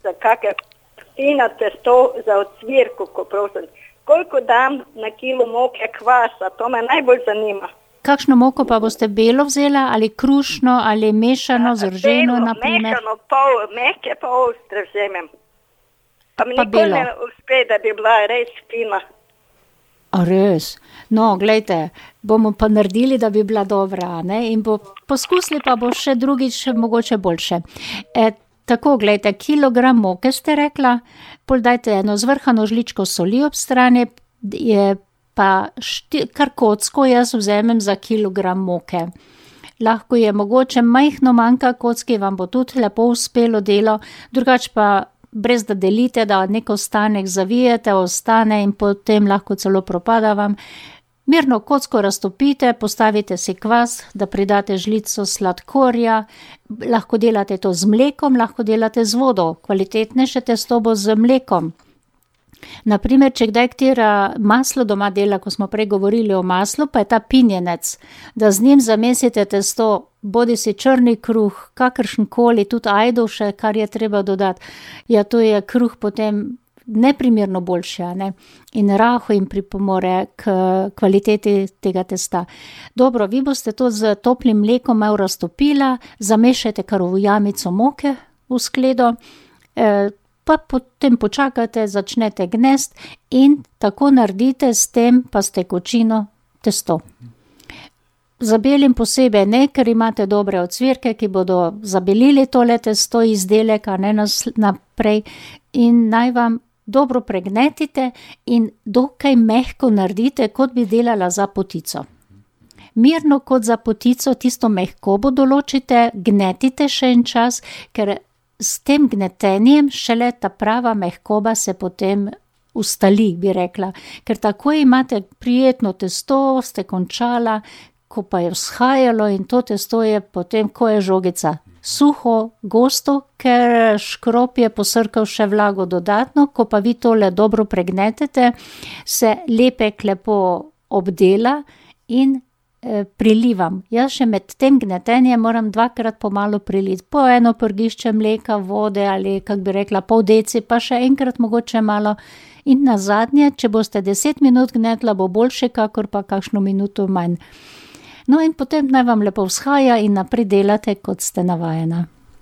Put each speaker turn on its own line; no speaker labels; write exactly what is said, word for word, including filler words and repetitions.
za kakve fino testo za ocvirku, ko prosim. Koliko dam na kilo moke kvasa, to me najbolj zanima.
Kakšno moko pa boste belo vzela, ali krušno, ali mešano, zrženo, na primer?
Mešano, pol, mehke pa ostre vzemem. Pa mi
Pa
nikoli
belo.
ne uspe, da bi bila res fina.
A res? No, glejte, bomo pa naredili, da bi bila dobra, ne? In bo, poskusili pa bo še drugič mogoče boljše. E, tako, glejte, kilogram moke ste rekla, pol dajte eno zvrhano žličko soli ob strani, je pa šti, kar kocko jaz vzamem za kilogram moke. Lahko je mogoče majhno manjka kocki, vam bo tudi lepo uspelo delo, drugače pa brez da delite, da nek ostanek zavijete, ostane in potem lahko celo propada vam. Mirno kocko raztopite, postavite si kvas, da pridate žlico sladkorja, lahko delate to z mlekom, lahko delate z vodo, kvalitetnejše testo bo z mlekom. Naprimer, če kdaj katera maslo doma dela, ko smo prej govorili o maslu, pa je ta pinjenec, da z njim zamesite testo, bodi si črni kruh, kakršenkoli, tudi ajdoše, kar je treba dodati. Ja, to je kruh potem neprimerno boljši, a ne? In raho jim pripomore k kvaliteti tega testa. Dobro, vi boste to z toplim mlekom malo raztopila, zamešajte kar v jamico moke v skledo, eh, pa potem počakate, začnete gnest in tako naredite s tem pa s tekočino testo. Zabelim posebej ne, ker imate dobre ocvirke, ki bodo zabelili tole testo izdelek, a ne nas naprej, in naj vam dobro pregnetite in dokaj mehko naredite, kot bi delala za potico. Mirno kot za potico, tisto mehkobo določite, gnetite še en čas, ker s tem gnetenjem šele ta prava mehkoba se potem ustali, bi rekla. Ker tako imate prijetno testo, ste končala, ko pa je vzhajalo in to testo je potem, ko je žogica. Suho, gosto, ker škrop je posrkal še vlago dodatno, ko pa vi tole dobro pregnetete, se lepek lepo obdela in prilivam. Jaz še med tem gnetenjem moram dvakrat pomalo priliti, po eno prgišče mleka, vode ali, kak bi rekla, pol deci, pa še enkrat mogoče malo. In nazadnje, če boste deset minut gnetla, bo boljše, kakor pa kakšno minuto manj. No in potem naj vam lepo vzhaja in naprej delate, kot ste navajena.